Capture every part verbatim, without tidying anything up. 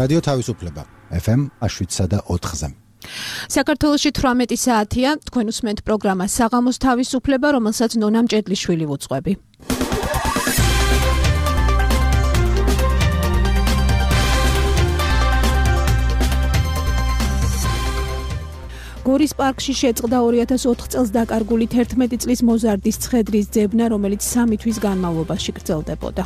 რადიო თავისუფლება ეფ ემ შვიდსა და ოთხზე. საქართველოში თვრამეტი საათია, თქვენ უსმენთ პროგრამა საღამოს თავისუფლება, რომელსაც ნონა მჭედლიშვილი ვუძღვები. გორის პარკში შეწყდა ორი ათას ოთხ წელს დაკარგული თერთმეტი წლის მოზარდის ცხედრის ძებნა, რომელიც სამი თვის განმავლობაში გრძელდებოდა.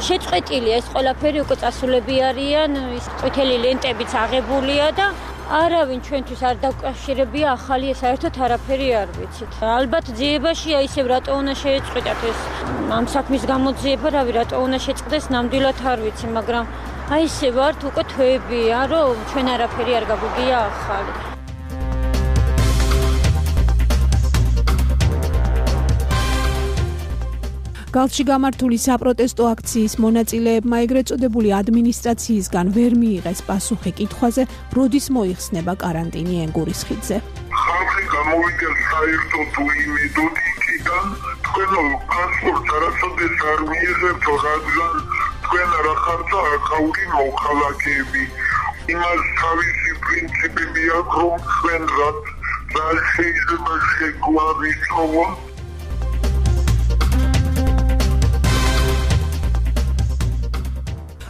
შეწყვეტილია ეს ყველაფერი, უკვე წასულები არიან, ის ყვითელი ლენტებიც აღებულია და არავინ ჩვენთვის არ დაკავშირებია ახალი, საერთოდ არაფერი არ ვიცით. ალბათ ძიებაშია ისევ რატო უნდა შეეწყვიტათ ეს ამ საქმის გამოძიება, რავი, რატო უნდა შეწყდეს, ნამდვილად არ ვიცი, მაგრამ აი ესე ვართ უკვე თვეებია, რომ ჩვენ არაფერი არ გაგვიგია ახალი. გალში გამართული საპროტესტო აქციის მონაწილეებმა ეგრეთ წოდებული ადმინისტრაციისგან ვერ მიიღეს პასუხი კითხვაზე, როდის მოიხსნება კარანტინი ენგურის ხიდზე. ხალხი გამოვიდეს საერთოდ უიმედოდ იქიდან, თქვენ პასპორტს არასოდეს არ მიიღებთ, რადგან თქვენ რა ხართ აქაური მოქალაქეები. იმას თავისი პრინციპები აქვს, რომ თქვენ რაც შეიძლება შეგვავისწროთ.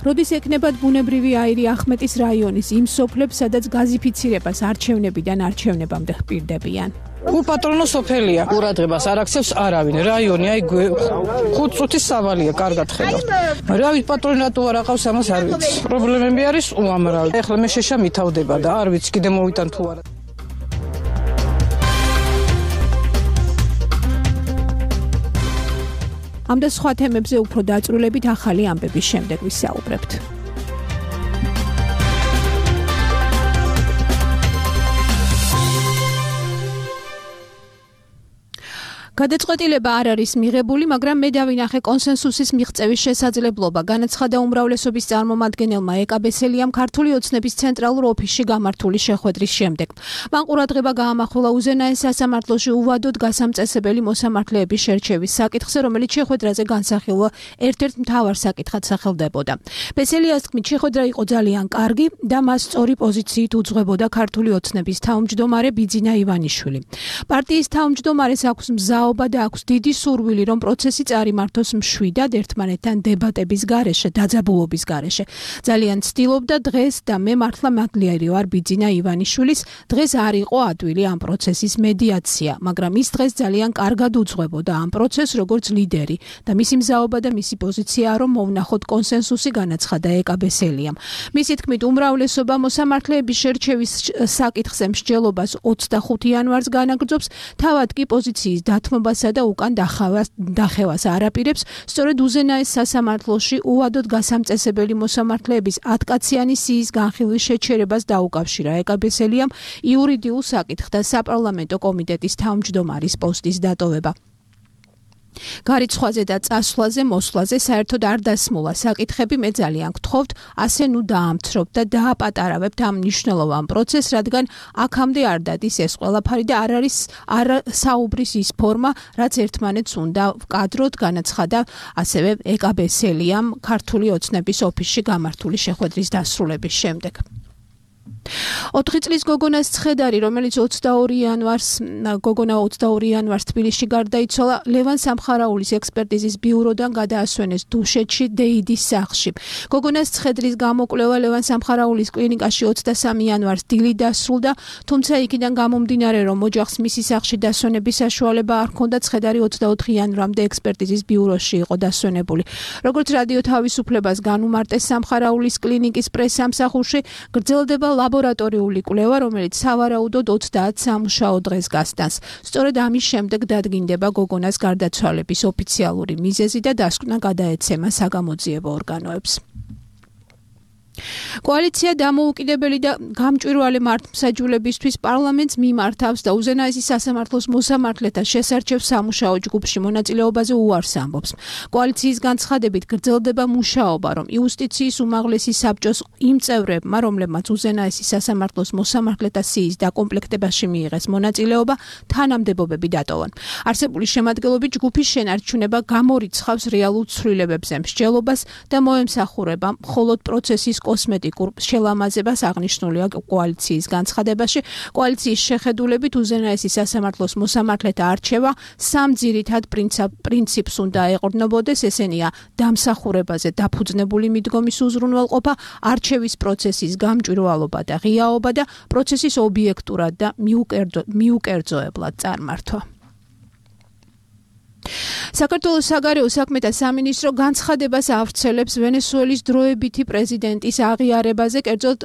როდის ეკნებათ ბუნებრივი აირი ახმეტის რაიონის იმ სოფლებს, სადაც გაზიფიცირებას არჩევნებიდან არჩევნებამდე ხპირდებიან. უპატრონო სოფელია, ყურადღებას არ აქცევს არავინ. რაიონი აი ხუთ წუთის სავალია, კარგად ხედავთ. რავით პატრონი რატო არ აყავს, ამას არ ვიცი. პრობლემები არის უამრავი. ეხლა მე შეშა მითავდება და არ ვიცი კიდე მოვიტან თუ არა. ამ და სხვა თემებზე უფრო დაწვრილებით ახალი ამბების შემდეგ ვისაუბრებთ. გადაწყვეტილება არ არის მიღებული, მაგრამ მე დავინახე კონსენსუსის მიღწევის შესაძლებლობა. განაცხადა უმრავლესობის წარმომადგენელმა ეკა ბესელიამ ქართული ოცნების ცენტრალურ ოფისში გამართული შეხვედრის შემდეგ. მან ყურადღება გაამახვილა უზენაეს სასამართლოში უვადოდ გასამწესებელი მოსამართლეების შერჩევის საკითხზე, რომელიც შეხვედრაზე განსახილვა ერთ-ერთ მთავარ საკითხად სახელდებოდა. ბესელიას თქმით, შეხვედრა იყო ძალიან კარგი და მას სწორი პოზიციით უძღვებოდა ქართული ოცნების თავმჯდომარე ბიძინა ივანიშვილი. პარტიის თავმჯდომარეს აქვს მზა და აქვს დიდი სურვილი, რომ პროცესი წარიმართოს მშვიდად, ერთმანეთთან დებატების გარეშე, დაძაბულობის გარეშე. ძალიან ცდილობდა დღეს და მე მართლა მადლიერი ვარ ბიძინა ივანიშვილის, დღეს არ იყო ადვილი ამ პროცესის მედიაცია, მაგრამ ის დღეს ძალიან კარგად უძღვებოდა ამ პროცესს როგორც ლიდერი და მისი მზაობა და მისი პოზიციაა, რომ მოვნახოთ კონსენსუსი, განაცხადა ეკა ბესელიამ. მისი თქმით, უმრავლესობა მოსამართლეების შერჩევის საკითხზე მსჯელობას ოცდახუთი იანვარს განაგრძობს, თავად კი პოზიციის დათმობასა და უკან დახევას არაპირებს, სწორედ უზენაეს სასამართლოში უვადოდ გასამწესებელი მოსამართლეების ათკაციანი სიის განხილვის შეჩერებას დაუკავშირა ეკა ბესელიამ იურიდიულ საკითხთა საპარლამენტო კომიტეტის თავმჯდომარის პოსტის დატოვება. გარიცხვაზე და წასვლაზე, მოსვლაზე საერთოდ არ დასმულა საკითხები, მე ძალიან გთხოვთ, ასე ნუ დაამცრობთ და დააპატარავებთ ამ მნიშვნელოვან პროცესს, რადგან აქამდე არ დადის ეს ყველაფერი და არ არის არ საუბრის ის ფორმა, რაც ერთმანეთს უნდა ვკადროთ, განაცხადა ასევე ეკა ბესელიამ ქართული ოცნების ოფისში გამართული შეხვედრის დასრულების შემდეგ. ოთხი წლის გოგონას ცხედარი, რომელიც ოცდაორი იანვარს გოგონა ოცდაორი იანვარს თბილისში გარდაიცვალა, ლევან სამხარაულის ექსპერტიზის ბიუროდან გადაასვენეს დუშეთში დეიდის სახლში. გოგონას ცხედრის გამოკვლევა ლევან სამხარაულის კლინიკაში ოცდასამი იანვარს დილით დასრულდა, თუმცა იქიდან გამომდინარე, რომ ოჯახს მისი სახლში დასვენების საშუალება არ ჰქონდა, ცხედარი ოცდაოთხი იანვრამდე ექსპერტიზის ბიუროში იყო დასვენებული. როგორც რადიო თავისუფლებას განუმარტეს სამხარაულის კლინიკის პრესსამსახურში, გრძელდება ლაბორატორიული კვლევა, რომელიც სავარაუდოდ ოცდაათ სამუშაო დღეს გასტანს. სწორედ ამის შემდეგ დადგინდება გოგონას გარდაცვალების ოფიციალური მიზეზი და დასკვნა გადაეცემა საგამოძიებო ორგანოებს. კოალიცია დამოუკიდებელი და გამჭვირვალე მართლმსაჯულებისთვის პარლამენტს მიმართავს და უზენაესი სასამართლოს მოსამართლეთა შესარჩევ სამუშაო ჯგუფში მონაწილეობაზე უარს ამბობს. კოალიციის განცხადებით გრძელდება მუშაობა, რომ იუსტიციის უმაღლესი საბჭოს იმ წევრებმა, რომლებმაც უზენაესი სასამართლოს მოსამართლეთა სიის დაკომპლექტებაში მიიღეს მონაწილეობა, თანამდებობები დატოვონ. არსებული შემადგენლობით ჯგუფის შენარჩუნება გამორიცხავს რეალურ ცვლილებებზე მსჯელობას და მოემსახურება მხოლოდ პროცესის კოსმეტიკურ შელამაზებას აღნიშნულია კოალიციის განცხადებაში. კოალიციის შეხედულებით უზენაესი სასამართლოს მოსამართლეთა არჩევა სამ ძირითად პრინციპს უნდა ეყრდნობოდეს, ესენია დამსახურებაზე დაფუძნებული მიდგომის უზრუნველყოფა, არჩევის პროცესის გამჭვირვალობა და ღიაობა და პროცესის ობიექტურად და მიუკერძოებლად წარმართვა. საქართველოს საგარეო საქმეთა სამინისტრო განცხადებას ავრცელებს ვენესუელის დროებითი პრეზიდენტის აღიარებაზე, კერძოდ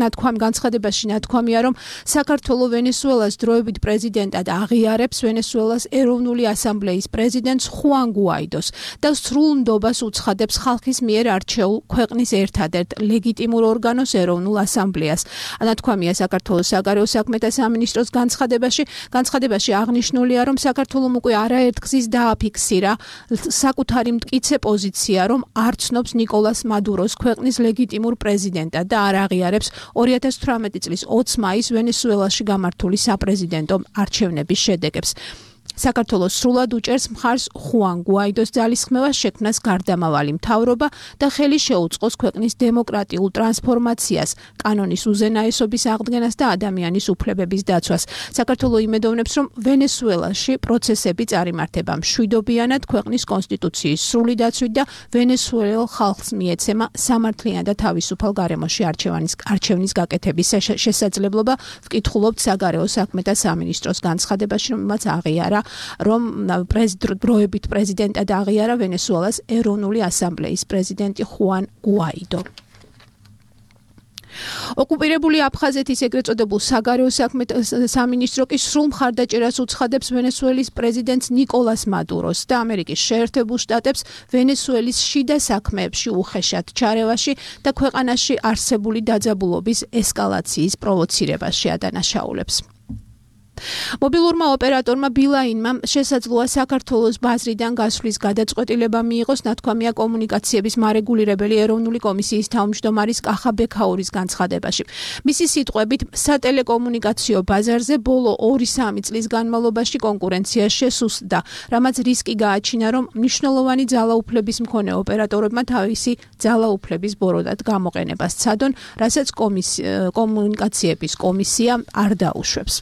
ნათქვამი განცხადებაში ნათქვამია, რომ საქართველო ვენესუელას დროებით პრეზიდენტად აღიარებს ვენესუელას ეროვნული ასამბლეის პრეზიდენტს ხუან გუაიდოს და სრულ ნდობას უცხადებს ხალხის მიერ არჩეულ ქვეყნის ერთადერთ ლეგიტიმურ ორგანოს ეროვნულ ასამბლეას. ნათქვამია საქართველოს საგარეო საქმეთა სამინისტროს განცხადებაში. განცხადებაში აღნიშნულია, რომ საქართველომ უკვე არაერთგზის დააფიქსირა საკუთარი მტკიცე პოზიცია, რომ არ ცნობს ნიკოლას მადუროს ქვეყნის ლეგიტიმურ პრეზიდენტად და არ აღიარებს ორი ათას თვრამეტი წლის ოცი მაისს ვენესუელაში გამართული საპრეზიდენტო არჩევნების შედეგებს. საქართველოს სრულად უჭერს მხარს ხუან გუაიდოს ძალისხმევას შექმნას გარდამავალი მთავრობა და ხელი შეუწყოს ქვეყნის დემოკრატიულ ტრანსფორმაციას, კანონის უზენაესობის აღდგენას და ადამიანის უფლებების დაცვას. საქართველო იმედოვნებს, რომ ვენესუელაში პროცესები წარიმართება მშვიდობიანად, ქვეყნის კონსტიტუციის სრული დაცვით და ვენესუელელ ხალხს მიეცემა სამართლიან და თავისუფალ გარემოში არჩევანის არჩევნის გაკეთების შესაძლებლობა. ვკითხულობთ საგარეო საქმეთა სამინისტროს განცხადებაში, რომელმაც აღიარა, რომ დროებით პრეზიდენტად აღიარა ვენესუელას ეროვნული ასამბლეის პრეზიდენტი ხუან გუაიდო. ოკუპირებული აფხაზეთის ეგრეთ წოდებულ საგარეო საქმეთა სამინისტრო კი სრულ მხარდაჭერას უცხადებს ვენესუელის პრეზიდენტს ნიკოლას მადუროს და ამერიკის შეერთებულ შტატებს ვენესუელის შიდა საქმეებში უხეშად ჩარევაში და ქვეყანაში არსებული დაძაბულობის ესკალაციის პროვოცირებაში ადანაშაულებს. მობილურმა ოპერატორმა ბილაინმა შესაძლოა საქართველოს ბაზრიდან გასვლის გადაწყვეტილება მიიღოს, ნათქვამია კომუნიკაციების მარეგულირებელი ეროვნული კომისიის თავმჯდომარის კახა ბექაურის განცხადებაში. მისი სიტყვებით, სატელეკომუნიკაციო ბაზარზე ბოლო ორი სამი წლის განმავლობაში კონკურენცია შესუსტდა, რამაც რისკი გააჩინა, რომ მნიშვნელოვანი ძალაუფლების მქონე ოპერატორებმა თავისი ძალაუფლების ბოროტად გამოყენებას ცადონ, რასაც კომუნიკაციების კომისია არ დაუშვებს.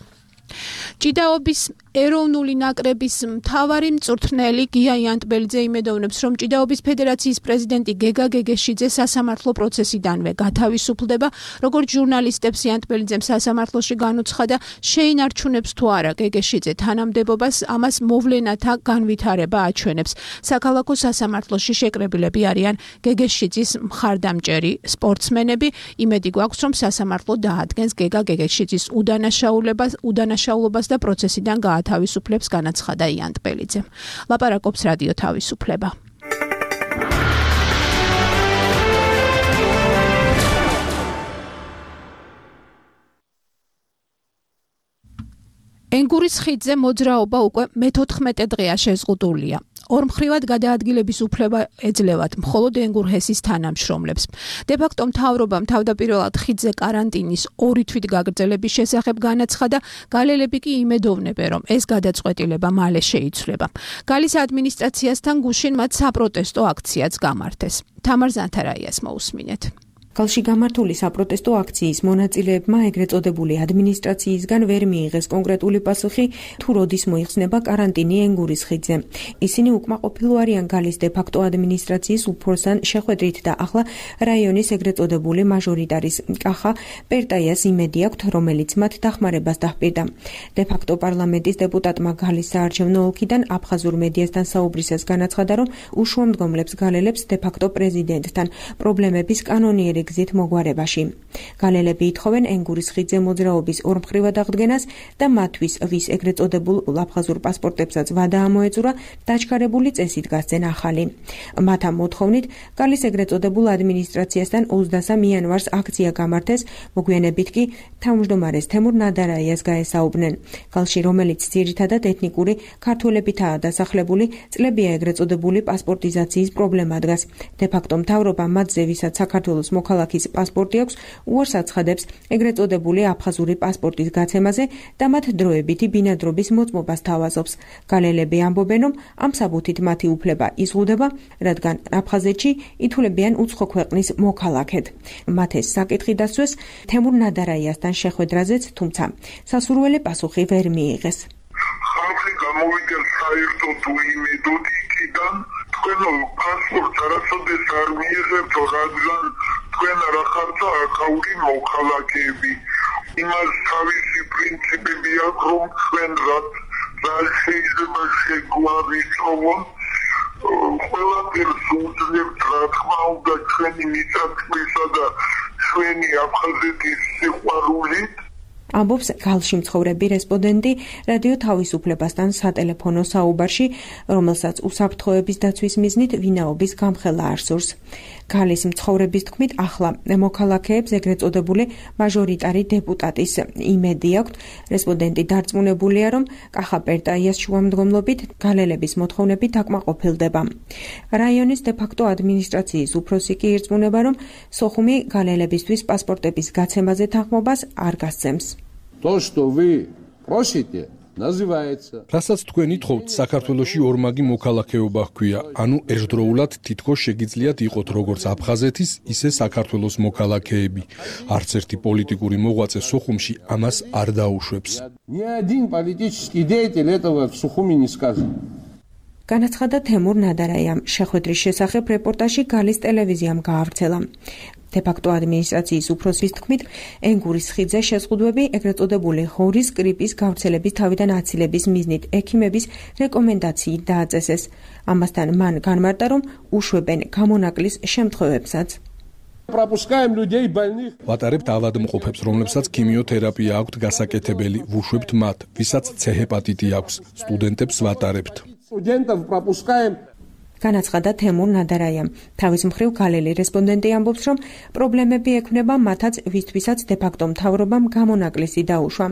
ჭიდაობის ეროვნული ნაკრების მთავარი მწვრთნელი გია იანტბელიძე იმედოვნებს, რომ ჭიდაობის ფედერაციის პრეზიდენტი გეგა გეგეშიძე სასამართლო პროცესიდანვე გათავისუფლდება. როგორც ჟურნალისტებს იანტბელიძემ სასამართლოში განუცხადა, შეინარჩუნებს თუ არა გეგეშიძე თანამდებობას, ამას მოვლენათა განვითარება აჩვენებს. საქალაქო სასამართლოში შეკრებილები არიან გეგეშიძის მხარდამჭერი სპორტსმენები. იმედი გვაქვს, რომ სასამართლო დაადგენს გეგა გეგეშიძის უდანაშაულებას, უდანაშაულობას და პროცესიდან გაათავისუფლებს. თავისუფლებს განაცხადა იანტბელიძემ. ლაპარაკობს რადიო თავისუფლება. ენგურის ხიდზე მოძრაობა უკვე მეთოთხმეტე დღეა შეზღუდულია. ორმხრივად გადაადგილების უფლება ეძლევათ მხოლოდ ენგურჰესის თანამშრომლებს. დე-ფაქტო მთავრობამ თავდაპირველად ხიდზე კარანტინის ორი თვით გაგრძელების შესახებ განაცხადა, გალელები კი იმედოვნებენ, რომ ეს გადაწყვეტილება მალე შეიცვლება. გალის ადმინისტრაციასთან გუშინ მათ საპროტესტო აქციაც გამართეს. თამარ ზანთარაიას მოусმინეთ. გალში გამართული საპროტესტო აქციის მონაწილეებმა ეგრეთ წოდებული ადმინისტრაციისგან ვერ მიიღეს კონკრეტული პასუხი, თუ როდის მოიხსნება კარანტინი ენგურის ხიდზე. ისინი უკმაყოფილო არიან გალის დე-ფაქტო ადმინისტრაციის უფროსთან შეხვედრით და ახლა რაიონის ეგრეთ წოდებული მაჟორიტარის კახა პერტაიას იმედი აქვთ, რომელიც მათ დახმარებას დაჰპირდა. დე-ფაქტო პარლამენტის დეპუტატმა გალის საარჩევნო ოლქიდან აფხაზურ მედიასთან საუბრისას განაცხადა, რომ უშუამდგომლებს გალელებს დე-ფაქტო პრეზიდენტთან პრობლემების კანონიერი გზით მოგვარებაში. გალელები ითხოვენ ენგურის ხიდზე მოძრაობის ორმხრივად აღდგენას და მათთვის, ვის ეგრეთ წოდებულ აფხაზურ პასპორტებსაც ვადა ამოეწურა, დაჩქარებული წესით გასცენ ახალი. მათ ამ მოთხოვნით გალის ეგრეთ წოდებულ ადმინისტრაციასთან ოცდასამ იანვარს აქცია გამართეს, მოგვიანებით კი თავმჯდომარეს თემურ ნადარაიას გაესაუბრნენ. გალში, რომელიც ძირითადად ეთნიკური ქართველებითაა დასახლებული, წლებია ეგრეთ წოდებული პასპორტიზაციის პრობლემა დგას. დე-ფაქტო მთავრობა მათზე, ვისაც საქართველოს მოქალაქის პასპორტი აქვს, უარს აცხადებს ეგრეთ წოდებული აფხაზური პასპორტის გაცემაზე და მათ დროებითი ბინადრობის მოწმობას თავაზობს. გალელები ამბობენ, რომ ამ საბუთით მათი უფლება იზღუდება, რადგან აფხაზეთში ითვლებიან უცხო ქვეყნის მოქალაქედ. მათ ეს საკითხი დასვეს თემურ ნადარაიასთან შეხვედრაზეც, თუმცა სასურველი პასუხი ვერ მიიღეს. ხალხი გამოვიდეს საერთოდ უიმედოდ იქიდან, თქვენ პასპორტს არასოდეს არ მიიღებთ, რადგან თქვენ არა ხართ აქაური მოქალაქეები. იმას თავისი პრინციპები აქვს, რომ თქვენ რაც შეიძლება შეგვარისწრებონ, ყველაფერს უძლებთ, რა თქმა უნდა, ჩვენი მიწათმისა და ჩვენი აფხაზეთის სიყვარულით. ამბობს გალში მცხოვრები რესპონდენტი რადიო თავისუფლებასთან სატელეფონო საუბარში, რომელსაც უსაფრთხოების დაცვის მიზნით ვინაობის გამხელა არ სურს. გალის მცხოვრების თქმით, ახლა მოქალაქეებს ეგრეთ წოდებული მაჟორიტარი დეპუტატის იმედი აქვთ. რესპონდენტი დარწმუნებულია, რომ კახა-პერტაიას შუამდგომლობით გალელების მოთხოვნები დაკმაყოფილდება. რაიონის დე-ფაქტო ადმინისტრაციის უფროსი კი ირწმუნება, რომ სოხუმი გალელებისთვის პასპორტების გაცემაზე თანხმობას არ გასცემს. То, что вы просите, называется. რასაც თქვენ ითხოვთ, საქართველოში ორმაგი მოქალაქეობა ჰქვია, ანუ ერთდროულად თითქოს შეგიძლიათ იყოთ როგორც აფხაზეთის, ისე საქართველოს მოქალაქეები. არც ერთი პოლიტიკური მოღვაწე სოხუმში ამას არ დაუშვებს. Ни один политический деятель этого в Сухуми не сказал. განაცხადა თემურ ნადარაიამ. შეხვედრის შესახებ რეპორტაჟი გალის ტელევიზიამ გაავრცელა. დე-ფაქტო ადმინისტრაციის უფროსის თქმით, ენგურის ხიდზე შეზღუდვები ეგრეთ წოდებული ღორის გრიპის გავრცელების თავიდან აცილების მიზნით ექიმების რეკომენდაციით დააწესეს. ამასთან მან განმარტა, რომ უშვებენ გამონაკლის შემთხვევებსაც. Пропускаем людей больных. ვატარებთ ავადმყოფებს, რომლებსაც ქიმიოთერაპია აქვთ გასაკეთებელი, ვუშვებთ მათ, ვისაც ცე ჰეპატიტი აქვს, სტუდენტებს ვატარებთ. Студентов пропускаем. განაცხადა თემურ ნადარაიამ. თავის მხრივ გალელი რესპონდენტი ამბობს, რომ პრობლემები ექმნება მათაც, ვისთვისაც დე-ფაქტო მთავრობამ გამონაკლისი დაუშვა.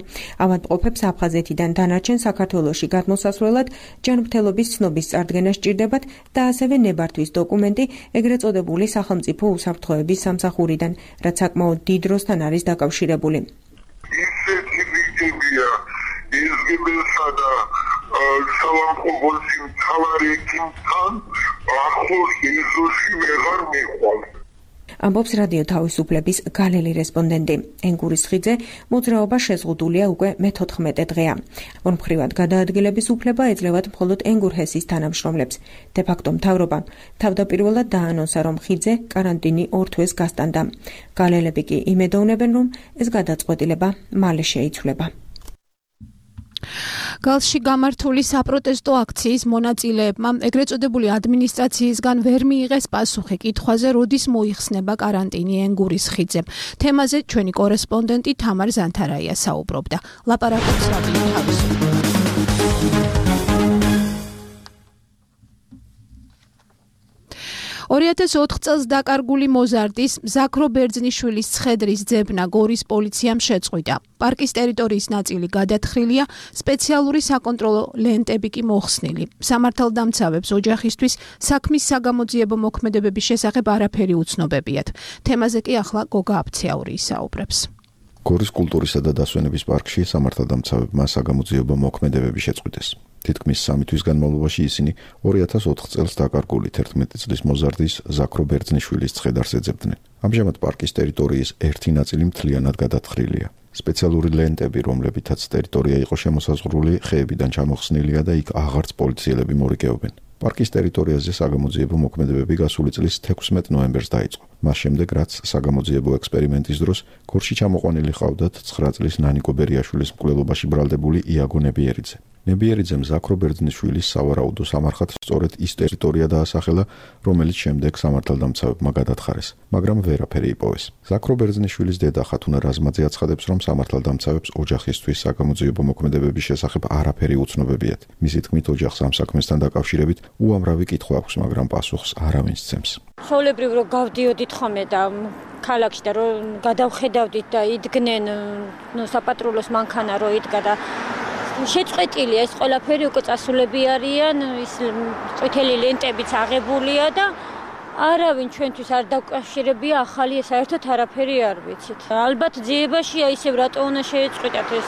ავადმყოფებს აფხაზეთიდან დანარჩენ საქართველოში გადმოსასვლელად ჯანმრთელობის ცნობის წარდგენა სჭირდებათ და ასევე ნებართვის დოკუმენტი ეგრეთ წოდებული სახელმწიფო უსაფრთხოების სამსახურიდან, რაც საკმაოდ დიდ დროსთან არის დაკავშირებული. ისეთი რიგებია ეზგებელსა და სალამყობოსი მთავარი ექიმთან ახლოს ეზოში ვეღარ მიყვალ. ამბობს რადიო თავისუფლების გალელი რესპონდენტი. ენგურის ხიდზე მოძრაობა შეზღუდულია უკვე მეთოთხმეტე დღეა. ორმხრივად გადაადგილების უფლება ეძლევათ მხოლოდ ენგურჰესის თანამშრომლებს. დე-ფაქტო მთავრობამ თავდაპირველად დაანონსა, რომ ხიდზე კარანტინი ორ თვეს გასტანდა. გალელები კი იმედოვნებენ, რომ ეს გადაწყვეტილება მალე შეიცვლება. გალში გამართული საპროტესტო აქციის მონაწილეებმა ეგრეთ წოდებული ადმინისტრაციისგან ვერ მიიღეს პასუხი კითხვაზე, როდის მოიხსნება კარანტინი ენგურის ხიდზე. თემაზე ჩვენი კორესპონდენტი თამარ ზანთარაია საუბრობდა. ლაპარაკობს რადიო თავისუფლება. ორი ათას ოთხ წელს დაკარგული მოზარდის ზაქრო ბერძნიშვილის ცხედრის ძებნა გორის პოლიციამ შეწყვიტა. პარკის ტერიტორიის ნაწილი გადათხრილია, სპეციალური საკონტროლო ლენტები კი მოხსნილი. სამართალდამცავებს ოჯახისთვის საქმის საგამოძიებო მოქმედებების შესახებ არაფერი უცნობებიათ. თემაზე კი ახლა გოგა აფციაური ისაუბრებს. გორის კულტურისა და დასვენების პარკში სამართალდამცავებმა საგამოძიებო მოქმედებები შეწყვიტეს. თითქმის სამი თვის განმავლობაში ისინი ორი ათას ოთხ წელს დაკარგული თერთმეტი წლის მოზარდის ზაქრო ბერძნიშვილის ცხედარს ეძებდნენ. ამჟამად პარკის ტერიტორიის ერთი ნაწილი მთლიანად გადათხრილია. სპეციალური ლენტები, რომლებითაც ტერიტორია იყო შემოსაზღვრული, ხეებიდან ჩამოხსნილია და იქ აღარც პოლიციელები მორიგეობენ. პარკის ტერიტორიაზე საგამოძიებო მოქმედებები გასული წლის თექვსმეტ ნოემბერს დაიწყო. მას შემდეგ, რაც საგამოძიებო ექსპერიმენტის დროს გორში ჩამოყვანილი ჰყავდათ ცხრა წლის ნანიკო ბერიაშვილის მკვლელობაში ბრალდებული იაგო ნებიერიძე. ნებიერიძემ ზაქრო ბერძნიშვილის სავარაუდო სამარხად სწორედ ის ტერიტორია დაასახელა, რომელიც შემდეგ სამართალდამცავებმა გადათხარეს, მაგრამ ვერაფერი იპოვეს. ზაქრო ბერძნიშვილის დედა ხათუნა რაზმაძე აცხადებს, რომ სამართალდამცავებს ოჯახისთვის საგამოძიებო მოქმედებების შესახებ არაფერი უცნობებიათ. მისი თქმით, ოჯახს ამ საქმესთან დაკავშირებით უამრავი კითხვა აქვს, მაგრამ პასუხს არავინ სცემს. ჩვეულებრივ რომ გავდიოდით ხოლმე და ქალაქში და რომ გადავხედავდით და იდგნენ საპატრულოს მანქანა რო იდგა და შეწყვეტილია ეს ყველაფერი უკვე წასულები არიან, ის ყვითელი ლენტებიც აღებულია და არავინ ჩვენთვის არ დაკავშირებია ახალი, საერთოდ არაფერი არ ვიცით. ალბათ ძიებაშია ისევ რატო უნდა შეეწყვიტათ ეს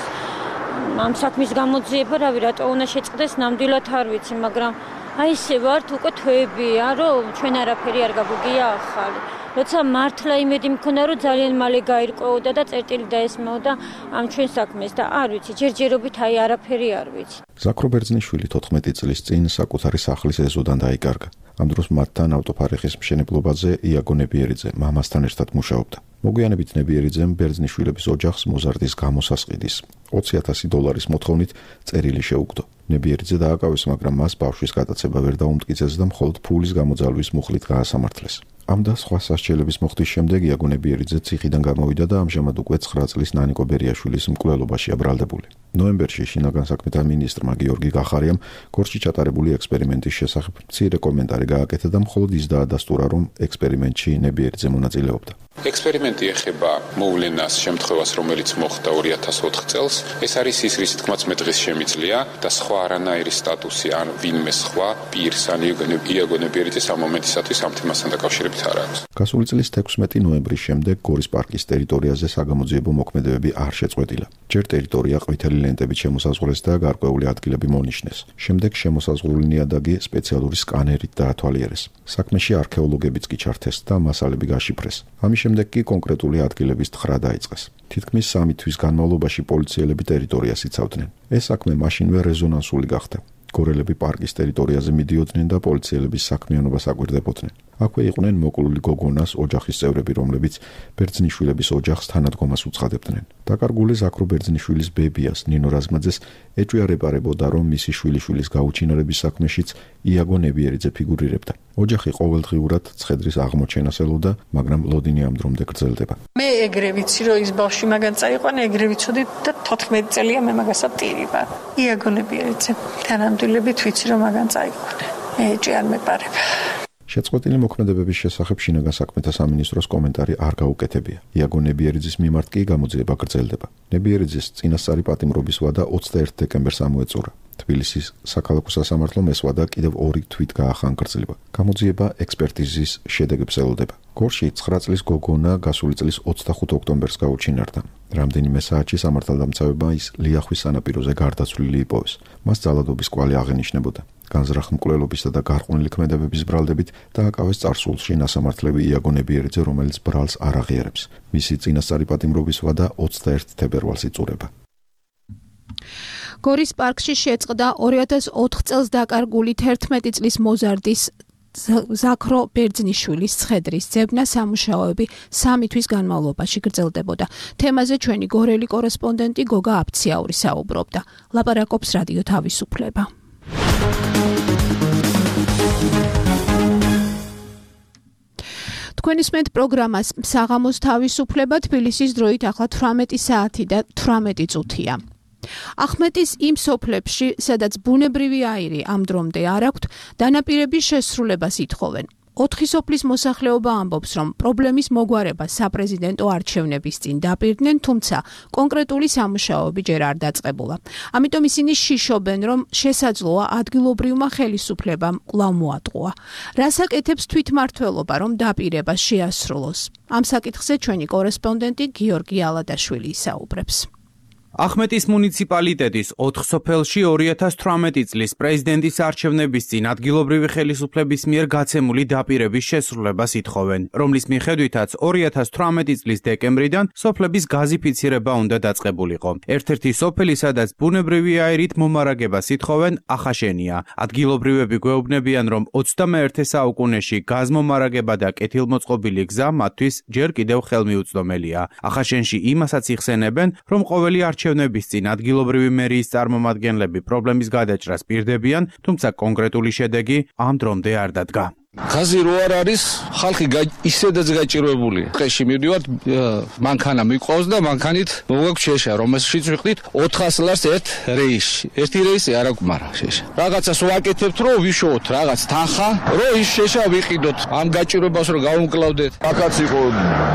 ამ საქმის გამოძიება, რავი, რატო უნდა შეწყდეს, ნამდვილად არ ვიცი, მაგრამ აი ესე ვართ უკვე თვეებია, რომ ჩვენ არაფერი არ გაგვიგია ახალი. როცა მართლა იმედი მქონდა, რომ ძალიან მალე გაირკვეოდა და წერტილი დაესმეოდა ამ ჩვენ საქმეს და არ ვიცი, ჯერჯერობით აი არაფერი არ ვიცი. ზაქრო ბერძნიშვილი თოთხმეტი წლის წინ საკუთარი სახლის ეზოდან დაიკარგა. ამ დროს მათთან ავტოფარეხის მშენებლობაზე იაგო ნებიერიძე მამასთან ერთად მუშაობდა. მოგვიანებით ნებიერიძემ ბერძნიშვილების ოჯახს მოზარდის გამოსასყიდის ოცი ათასი დოლარის მოთხოვნით წერილი შეუგდო. ნებიერიძე დააკავეს, მაგრამ მას ბავშვის გატაცება ვერ დაუმტკიცეს და მხოლოდ ფულის გამოძალვის მუხლით გაასამართლეს. ამ და სხვა სასჯელების მოხდის შემდეგ იაგო ნებიერიძე ციხიდან გამოვიდა და ამჟამად უკვე ცხრა წლის ნანიკო ბერიაშვილის მკვლელობაშია ბრალდებული. ნოემბერში შინაგან საქმეთა მინისტრმა გიორგი გახარიამ გორში ჩატარებული ექსპერიმენტის შესახებ მცირე კომენტარი გააკეთა და მხოლოდ ის დაადასტურა, რომ ექსპერიმენტში ნებიერიძე მონაწილეობდა. ექსპერიმენტი ეხება მოვლენას, შემთხვევას, რომელიც მოხდა ორი ათას ოთხ წელს. ეს არის ის, რის თქმაც მე დღეს შემიძლია და სხვა არანაირი სტატუსი ან ვინმე სხვა პირს ან იაგო ნებიერიძეს ამ მომენტისათვის ამ თემასთან დაკავშირებით არ აქვს. გასული წლის თექვსმეტი ნოემბრის შემდეგ გორის პარკის ტერიტორიაზე საგამოძიებო მოქმედებები არ შეწყვეტილა. ჯერ ტერიტორია ყვითელი ლენტებით შემოსაზღვრეს და გარკვეული ადგილები მონიშნეს. შემდეგ შემოსაზღვრული ნიადაგი სპეციალური სკანერით დაათვალიერეს. საქმეში არქეოლოგებიც კი ჩართეს და მასალები გაშიფრეს. ამის შემდეგ კი კონკრეტული ადგილების თხრა დაიწყეს. თითქმის სამი თვის განმავლობაში პოლიციელები ტერიტორიას იცავდნენ. ეს საქმე მაშინვე რეზონანსული გახდა. გორელები პარკის ტერიტორიაზე მიდიოდნენ და პოლიციელების საქმიანობას აკვირდებოდნენ. აქვე იყვნენ მოკლული გოგონას ოჯახის წევრები, რომლებიც ბერძნიშვილების ოჯახს თანადგომას უცხადებდნენ. დაკარგული ზაქრო ბერძნიშვილის ბებიას ნინო რაზმაძეს ეჭვიარეპარებოდა, რომ მისი შვილიშვილის გაუჩინარების საქმეშიც იაგო ნებიერიძე ფიგურირებდა. ოჯახი ყოველდღიურად ცხედრის აღმოჩენას ელოდა, მაგრამ ლოდინი ამ დრომდე გრძელდება. მე ეგრე ვიცი, რომ ის ბავშვი მაგან წაიყვანა, ეგრე ვიცოდი და თოთხმეტი წელია მე მაგასა ტირი ვარ. იაგო ნებიერიძე თანამდებობით ვიცი, რომ მაგან წაიყვანა. მე ეჭვი არ მეპარება. შეწყვეტილი მოქმედებების შესახებ შინაგან საქმეთა სამინისტროს კომენტარი არ გაუკეთებია. იაგო ნებიერიძის მიმართ კი გამოძიება გრძელდება. ნებიერიძის წინასწარი პატიმრობის ვადა ოცდაერთი დეკემბერს ამოეწურა. თბილისის საქალაქო სასამართლომ ეს ვადა კიდევ ორი თვით გაახანგრძლივა. გამოძიება ექსპერტიზის შედეგებს ელოდება. გორში ცხრა წლის გოგონა გასული წლის ოცდახუთი ოქტომბერს გაუჩინარდა. რამდენიმე საათში სამართალდამცავებმა ის ლიახვის სანაპიროზე გარდაცვლილი იპოვეს. მას ძალადობის კვალი აღენიშნებოდა. განზრახ მკვლელობისა და გარყვნილი ქმედებების ბრალდებით დააკავეს წარსულში ნასამართლები იაგო ნებიერიძე, რომელიც ბრალს არ აღიარებს. მისი წინასწარი პატიმრობის ვადა ოცდაერთი თებერვალს იწურება. გორის პარკში შეწყდა ორი ათას ოთხ წელს დაკარგული თერთმეტი წლის მოზარდის ზაქრო ბერძნიშვილის ცხედრის ძებნა სამუშაოები სამი თვის განმავლობაში გრძელდებოდა. თემაზე ჩვენი გორელი კორესპონდენტი გოგა აფციაური საუბრობდა. ლაპარაკობს რადიო თავისუფლება. თქვენ ისმენთ პროგრამას საღამოს თავისუფლება, თბილისის დროით ახლა თვრამეტი საათი და თვრამეტი წუთია. ახმეტის იმ სოფლებში, სადაც ბუნებრივი აირი ამ დრომდე არ აქვთ, დანაპირების შესრულებას ითხოვენ. ოთხი სოფლის მოსახლეობა ამბობს, რომ პრობლემის მოგვარება საპრეზიდენტო არჩევნების წინ დაპირდნენ, თუმცა კონკრეტული სამუშაოები ჯერ არ დაწყებულა. ამიტომ ისინი შიშობენ, რომ შესაძლოა ადგილობრივმა ხელისუფლებამ კვლავ მოატყუა. რას აკეთებს თვითმმართველობა, რომ დაპირება შეასრულოს? ამ საკითხზე ჩვენი კორესპონდენტი გიორგი ალადაშვილი ისაუბრებს. ახმეტის მუნიციპალიტეტის ოთხ სოფელში ორი ათას თვრამეტი წლის პრეზიდენტის არჩევნების წინ ადგილობრივი ხელისუფლების მიერ გაცემული დაპირების შესრულებას ითხოვენ, რომლის მიხედვითაც ორი ათას თვრამეტი წლის დეკემბრიდან სოფლების გაზიფიცირება უნდა დაწყებულიყო. ერთ-ერთი სოფელი, სადაც ბუნებრივი აირით მომარაგებას ითხოვენ, ახაშენია. ადგილობრივები გვეუბნებიან, რომ ოცდამეერთე საუკუნეში გაზმომარაგება და კეთილმოწყობილი გზა მათთვის ჯერ კიდევ ხელმიუწვდომელია. ახაშენში იმასაც იხსენებენ, რომ ყოველი არჩევნების წინ ადგილობრივი მერიის წარმომადგენლები პრობლემის გადაჭრას პირდებიან, თუმცა კონკრეტული შედეგი ამ დრომდე არ დადგა. ხაზი რო არ არის, ხალხი ისედაც გაჭირვებულია. დღეში მივდივართ, მანქანა მიყვავს და მანქანით მოვაქვს შეშა, რომელშიც ვიხდით ოთხას ლარს ერთ რეისში. ერთი რეისი არ აქვს, მაგრამ შეშა. რაღაცას ვაკეთებთ, რომ ვიშოვოთ რაღაც თანხა, რომ ის შეშა ვიყიდოთ. ამ გაჭირვებას რომ გავუმკლავდეთ. აქაც იყო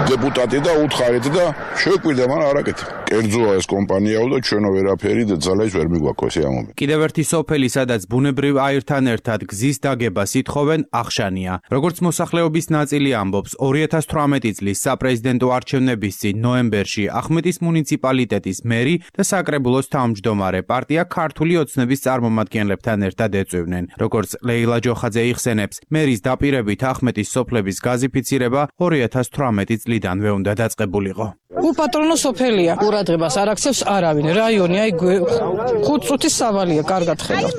დეპუტატი და უთხარით და შეკვირდა, მაგრამ არ აკეთებ. კერძოა ეს კომპანიაო და ჩვენო ვერაფერი და ძალაიც ვერ მიგვაქვს ეს ამომი. კიდევ ერთი სოფელი, სადაც ბუნებრივ აირთან ერთად გზის დაგებას ითხოვენ, ახშა მჭიდროჯანია. როგორც მოსახლეობის ნაწილი ამბობს, ორი ათას თვრამეტი წლის საპრეზიდენტო არჩევნების წინ ნოემბერში ახმეტის მუნიციპალიტეტის მერი და საკრებულოს თავმჯდომარე პარტია ქართული ოცნების წარმომადგენლებთან ერთად ეწვივნენ. როგორც ლეილა ჯოხაძე იხსენებს, მერის დაპირებით ახმეტის სოფლების გაზიფიცირება ორი ათას თვრამეტი წლიდანვე უნდა დაწყებულიყო. უპატრონო სოფელია, ყურადღებას არ აქცევს არავინ. რაიონი აი ხუთ წუთის სავალია, კარგად ხედავთ.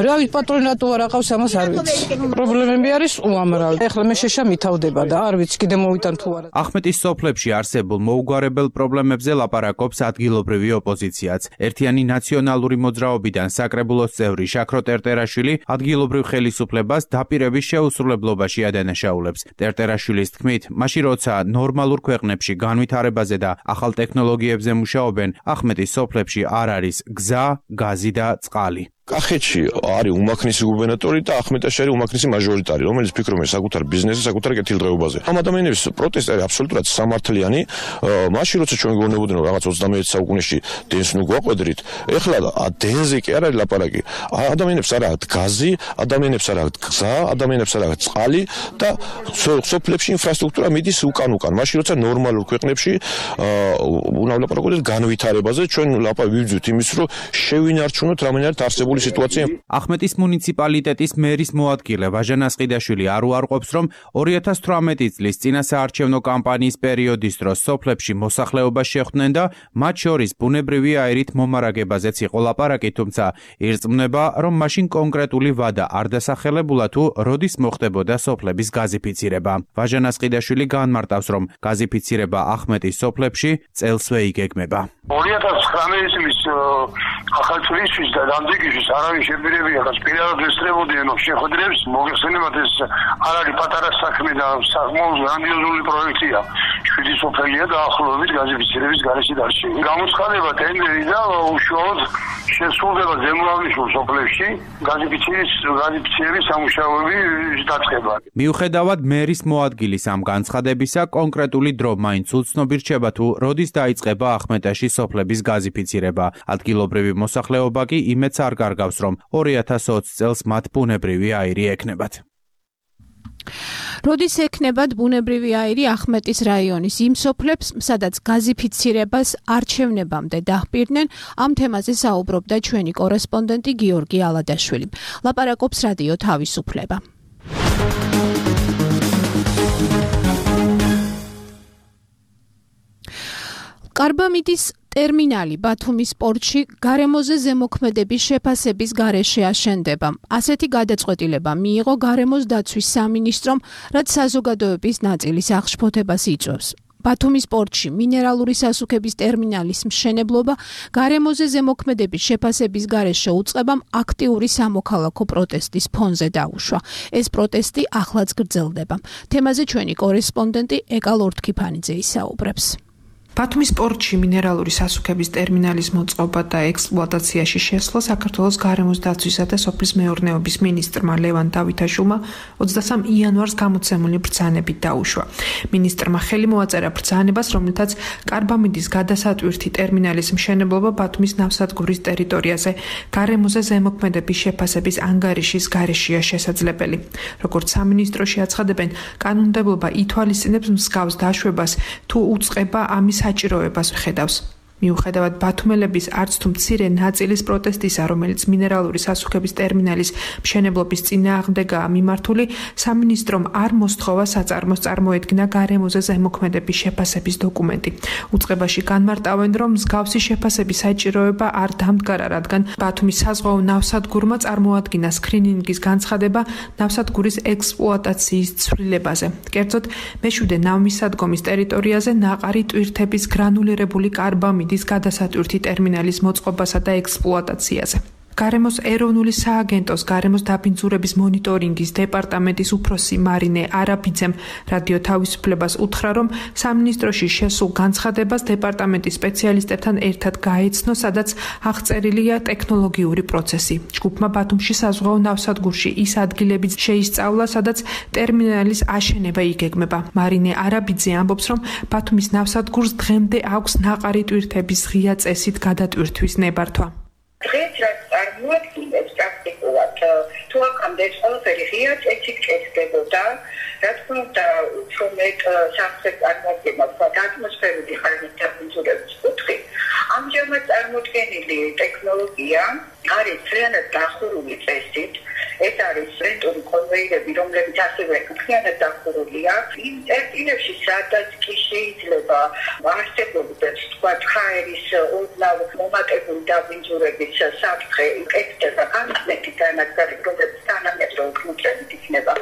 რავით პატრონატო არ აყავს, ამას არ ვიცი. პრობლემები არის უამრავი. ეხლა მე შეშა მითავდება და არ ვიცი კიდე მოვიტან თუ არა. ახმეტის სოფლებში არსებულ მოუგვარებელ პრობლემებზე ლაპარაკობს ადგილობრივი ოპოზიციაც. ერთიანი ნაციონალური მოძრაობიდან საკრებულოს წევრი შაქრო ტერტერაშვილი ადგილობრივ ხელისუფლებას დაპირების შეუსრულებლობაში ადანაშაულებს. ტერტერაშვილის თქმით, მაშინ როცა ნორმალურ ქვეყნებში განვითარებაზე და ახალ ტექნოლოგიებზე მუშაობენ, ახმეტის სოფლებში არ არის გზა, გაზი და წყალი. კახეთში არის უმაქნისი გუბერნატორი და ახმეტაში არის უმაქნისი მაჟორიტარი, რომელიც ფიქრობენ საკუთარ ბიზნესზე, საკუთარ კეთილდღეობაზე. ამ ადამიანების პროტესტი არის აბსოლუტურად სამართლიანი. მაშინ როცა ჩვენ გონებოდნენ რომ რაღაც ოცდამეერთე საუკუნეში დენს ნუ გვაყვედრით, ეხლა დენზე კი არ არის ლაპარაკი. ადამიანებს არ აქვს გაზი, ადამიანებს არ აქვს გზა, ადამიანებს არ აქვს წყალი და სოფლებში ინფრასტრუქტურა მიდის უკან-უკან. მაშინ როცა ნორმალურ ქვეყნებში უნდა ვლაპარაკოთ განვითარებაზე, ჩვენ ვიბრძვით იმის რომ შევინარჩუნოთ რამენად არსებული სიტუაცია. ახმეტის მუნიციპალიტეტის მერის მოადგილე ვაჟან ასყიდაშვილი არ უარყოფს, რომ ორი ათას თვრამეტი წლის წინასაარჩევნო კამპანიის პერიოდის დროს სოფლებში მოსახლეობა შეხვდნენ და მათ შორის ბუნებრივი აირით მომარაგებაზეც იყო ლაპარაკი, თუმცა ირწმუნება, რომ მაშინ კონკრეტული ვადა არ დასახელებულა თუ როდის მოხდებოდა სოფლების გაზიფიცირება. ვაჟან ასყიდაშვილი განმარტავს, რომ გაზიფიცირება ახმეტის სოფლებში წელსვე იგეგმება. ორი ათას ცხრამეტი წლის ახალწლისთვის და დამდეგისთვის არავინ შეპირებია და პირადად ესწრებოდიან შეხვედრებს, მოგეხსენებათ ეს არ არის პატარა საქმე და საკმაოდ გრანდიოზული პროექტია. შვიდი სოფელია დაახლოებით გაზიფიცირების გარეშე დარჩენილი. გამოცხადება ტენდერი და უშუალოდ შესრულდება ზემოაღნიშნულ სოფლებში გაზიფიცირების გაზიფიცირების სამუშაოები დაწყება. მიუხედავად მერის მოადგილის ამ განცხადებისა, კონკრეტული დრო მაინც უცნობი რჩება თუ როდის დაიწყება ახმეტაში სოფლების გაზიფიცირება. ადგილობრივი მოსახლეობა კი იმედს არ გარგავს, რომ ორი ათას ოცი წელს მათ ბუნებრივი აირი ექნებათ. როდის ექნებათ ბუნებრივი აირი ახმეტის რაიონის იმ სოფლებს, სადაც გაზიფიცირებას არჩევნებამდე დაჰპირდნენ, ამ თემაზე საუბრობდა ჩვენი კორესპონდენტი გიორგი ალადაშვილი. ლაპარაკობს რადიო თავისუფლება. კარბამიდის ტერმინალი ბათუმის პორტში გარემოზე ზემოქმედების შეფასების გარეშე აშენდება. ასეთი გადაწყვეტილება მიიღო გარემოს დაცვის სამინისტრომ, რაც საზოგადოების ნაწილის აღშფოთებას იწვევს. ბათუმის პორტში მინერალური სასუქების ტერმინალის მშენებლობა გარემოზე ზემოქმედების შეფასების გარეშე უწყებამ აქტიური სამოქალაქო პროტესტის ფონზე დაუშვა. ეს პროტესტი ახლაც გრძელდება. თემაზე ჩვენი კორესპონდენტი ეკა ლორთქიფანიძე ისაუბრებს. ბათუმის პორტში მინერალური სასუქების ტერმინალის მოწყობა და ექსპლუატაციაში შესვლა საქართველოს გარემოს დაცვისა და სოფლის მეურნეობის მინისტრმა ლევან დავითაშვილმა ოცდასამ იანვარს გამოცემული ბრძანებით დაუშვა. მინისტრმა ხელი მოაწერა ბრძანებას, რომლითაც კარბამიდის გადასატვირთი ტერმინალის მშენებლობა ბათუმის ნავსადგურის ტერიტორიაზე გარემოზე ზემოქმედების შეფასების ანგარიშის გარეშეა შესაძლებელი. როგორც სამინისტროში აცხადებენ, კანონმდებლობა ითვალისწინებს მსგავს დაშვებას თუ უწყება ამის საჭიროებას ხედავს. მიუხედავად ბათუმელების არც თუ მცირე ნაწილის პროტესტისა, რომელიც მინერალური სასუქების ტერმინალის მშენებლობის წინააღმდეგაა მიმართული, სამინისტრომ არ მოსთხოვა საწარმოს წარმოედგინა გარემოზე ზემოქმედების შეფასების დოკუმენტი. უწყებაში განმარტავენ, რომ მსგავსი შეფასების საჭიროება არ დამდგარა, რადგან ბათუმის საზღვაო ნავსადგურმა წარმოადგინა სკრინინგის განცხადება ნავსადგურის ექსპლუატაციის ცვლილებაზე. კერძოდ, მეშვიდე ნავმისადგომის ტერიტორიაზე ნაყარი ტვირთების გრანულირებული კარბამიდის გადასატვირთი ტერმინალის მოწყობასა და ექსპლუატაციაზე. გარემოს ეროვნული სააგენტოს გარემოს დაბინძურების მონიტორინგის დეპარტამენტის უფროსი მარინე არაბიძემ რადიო თავისუფლებას უთხრა, რომ სამინისტროში შესულ განცხადებას დეპარტამენტის სპეციალისტებთან ერთად გაეცნო, სადაც აღწერილია ტექნოლოგიური პროცესი. ჯგუფმა ბათუმში საზღვაო ნავსადგურში ის ადგილებიც შეისწავლა, სადაც ტერმინალის აშენება იგეგმება. მარინე არაბიძე ამბობს, რომ ბათუმის ნავსადგურს დღემდე აქვს ნაყარი ტვირთების ღია წესით გადატვირთვის ნებართვა. დღეს რაც წარმოადგენს პრაქტიკულად თუ აქამდე ეს ყველაფერი ღია წესით კეთდებოდა. რა თქმა უნდა, უფრო მეტ სამხრეთ წარმოადგენას და ატმოსფერული ხარჯის დაბინძურების კუთხე. ამჟამად წარმოქმნილი ტექნოლოგია არის ძალიან დახურული წესით. ეს არის რენტური კონვეიერები, რომლებიც ასევე ძალიან დახურულია. იმ წერტილებში, სადაც კი შეიძლება არსებობდეს, თქვა, ხაერის ოდნავ მომატებული დაბინძურების საფრთხე, ეკეთება განმეორებით განაგზავნილი, რომლებიც თანამედროვე კუნძულებით იქნება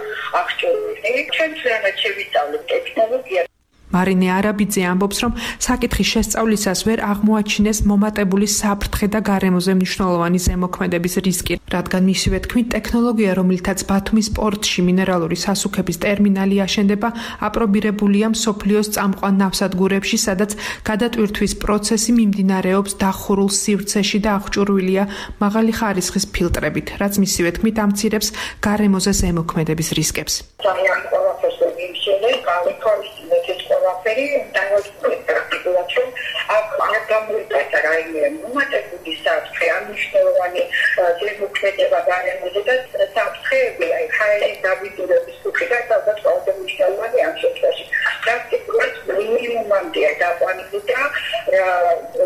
აღჭურვილი. ჩვენ ძალიან შევისწავლეთ ტექნოლოგია. მარინე არაბიძე ამბობს, რომ საკითხის შესწავლისას ვერ აღმოაჩინეს მომატებული საფრთხე და გარემოზე მნიშვნელოვანი ზემოქმედების რისკი, რადგან მისივე თქმით, ტექნოლოგია, რომელთაც ბათუმის პორტში მინერალური სასუქების ტერმინალი აშენდება, აპრობირებულია მსოფლიოს წამყვან ნავსადგურებში, სადაც გადატვირთვის პროცესი მიმდინარეობს დახურულ სივრცეში და აღჭურვილია მაღალი ხარისხის ფილტრებით, რაც მისივე თქმით ამცირებს გარემოზე ზემოქმედების რისკებს. ყველაფერი დაგვაწყდეს პრაქტიკულად, რომ აქ არ გამოიწვია რაიმე მომატებული საფრთხე, ან მნიშვნელოვანი ზემოქმედება გარემოზე და საფრთხეები, აი ხაერის დაბინძურების კუთხიდან ალბათ ყველაზე მნიშვნელოვანი ამ შემთხვევაში. პრაქტიკულად მინიმუმამდეა დაყვანილი და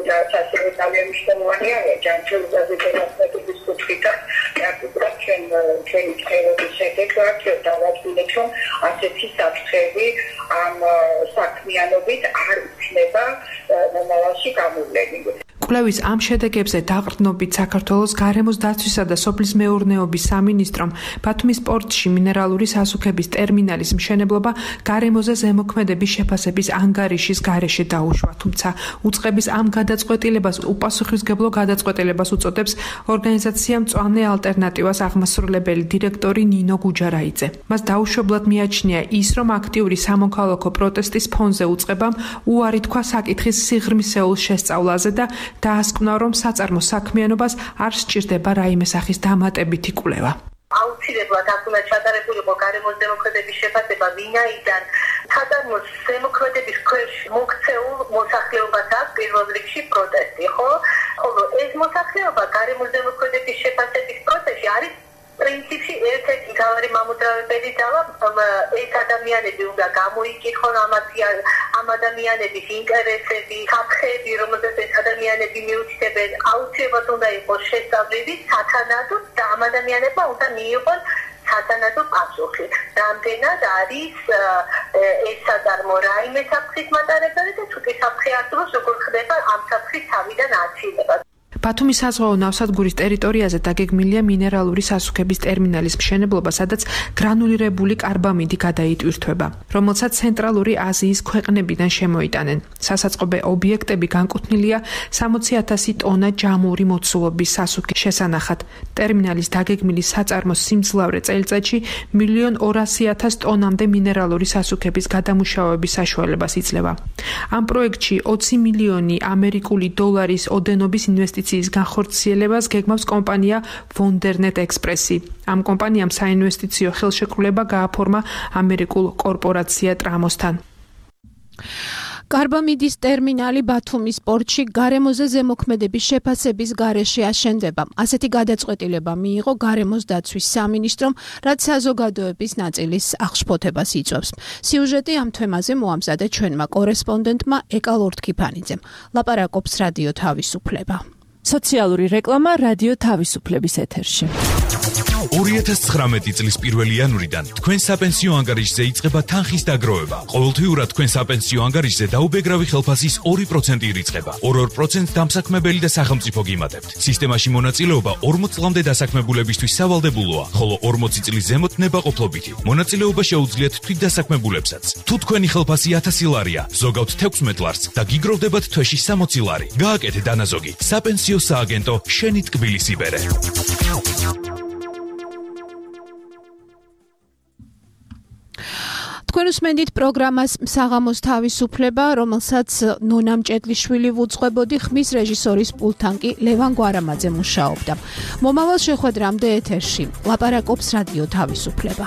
რაც ასევე ძალიან მნიშვნელოვანია ჯანმრთელობაზე დანახმების კუთხიდან პრაქტიკულად ჩვენ ჩვენი ხელობის შედეგად დავადგინეთ, რომ ასეთი საფრთხეები ამ საქმიანობით არ იქნება მომავალში გამოვლენილი. კვლევის ამ შედეგებზე დაყრდნობით საქართველოს გარემოს დაცვისა და სოფლის მეურნეობის სამინისტრომ ბათუმის პორტში მინერალური სასუქების ტერმინალის მშენებლობა გარემოზე ზემოქმედების შეფასების ანგარიშის გარეშე დაუშვა, თუმცა უწყების ამ გადაწყვეტილებას უპასუხისმგებლო გადაწყვეტილებას უწოდებს ორგანიზაცია მწვანე ალტერნატივას აღმასრულებელი დირექტორი ნინო გუჯარაიძე. მას დაუშვებლად მიაჩნია ის, რომ აქტიური სამოქალაქო პროტესტის ფონზე უწყებამ უარი თქვა საკითხის სიღრმისეულ შესწავლაზე და დაასკვნა, რომ საწარმო საქმიანობას არ სჭირდება რაიმე სახის დამატებითი კვლევა. აუცილებლად აქ უნდა ჩატარებულიყო გარემოს ზემოქმედების შეფასება, ვინაიდან საწარმოს ზემოქმედების ქვეშ მოქცეულ მოსახლეობას აქვს პირველ რიგში პროტესტი, ხო? ხოლო ეს მოსახლეობა გარემოს ზემოქმედების შეფასების პროცესში არის პრინციპში ერთ-ერთი მთავარი მამოძრავებელი ძალა. ეს ადამიანები უნდა გამოიკითხონ ამ ადამიანების ინტერესები, საფრთხეები, რომელზეც ეს ადამიანები მიუთითებენ, აუცილებლად უნდა იყოს შესწავლილი სათანადო და ამ ადამიანებმა უნდა მიიღონ სათანადო პასუხი. რამდენად არის ეს საწარმო რაიმე საფრთხის მატარებელი და თუ კი საფრთხე არსებობს, როგორ ხდება ამ საფრთხის თავიდან აცილება. ბათუმის საზღვაო ნავსადგურის ტერიტორიაზე დაგეგმილია მინერალური სასუქების ტერმინალის მშენებლობა, სადაც გრანულირებული კარბამიდი გადაიტვირთვება, რომელსაც ცენტრალური აზიის ქვეყნებიდან შემოიტანენ. სასაწყობე ობიექტები განკუთვნილია სამოცი ათასი ტონა ჯამური მოცულობის სასუქის შესანახად. ტერმინალის დაგეგმილი საწარმოს სიმძლავრე წელიწადში მილიონ ორასი ათას ტონამდე მინერალური სასუქების გადამუშავების საშუალებას იძლევა. ამ პროექტში ოცი მილიონი ამერიკული დოლარის ოდენობის ინვესტიცია განხორციელებას გეგმავს კომპანია Wondernet Express-ი. ამ კომპანიამ საინვესტიციო ხელშეკრულება გააფორმა ამერიკულ კორპორაცია ტრამოსთან. კარბამიდის ტერმინალი ბათუმის პორტში გარემოზე ზემოქმედების შეფასების გარეშე აშენდება. ასეთი გადაწყვეტილება მიიღო გარემოს დაცვის სამინისტრომ, რაც საზოგადოების ნაწილის აღშფოთებას იწვევს. სიუჟეტი ამ თემაზე მოამზადა ჩვენმა კორესპონდენტმა ეკა ლორთქიფანიძემ. ლაპარაკობს რადიო თავისუფლება. სოციალური რეკლამა რადიო თავისუფლების ეთერში. ორი ათას ცხრამეტი წლის პირველი იანვრიდან თქვენ საპენსიო ანგარიშზე იწყება თანხის დაგროვება. ყოველთვიურად თქვენ საპენსიო ანგარიშზე დაუბეგრავი ხელფასის ორი პროცენტი ირიცხება. ორ-ორ პროცენტს დამსაქმებელი და სახელმწიფო გიმატებთ. სისტემაში მონაწილეობა ორმოც წლამდე დასაქმებულებისთვის სავალდებულოა, ხოლო ორმოცი წლის ზემოთ ნებაყოფლობითი. მონაწილეობა შეუძლიათ თვითდასაქმებულებსაც. თუ თქვენი ხელფასი ათასი ლარია, ზოგავთ თექვსმეტ ლარს და გიგროვდებათ თვეში სამოცი ლარი. გააკეთე დანაზოგი. საპენსიო სააგენტო შენი ტკბილის იბერე. თქვენ უსმენთ პროგრამას საღამოს თავისუფლება, რომელსაც ნონა მჭედლიშვილი ვუძღვებოდი, ხმის რეჟისორის პულტთან კი ლევან გვარამაძე მუშაობდა. მომავალ შეხვედრამდე ეთერში ლაპარაკობს რადიო თავისუფლება.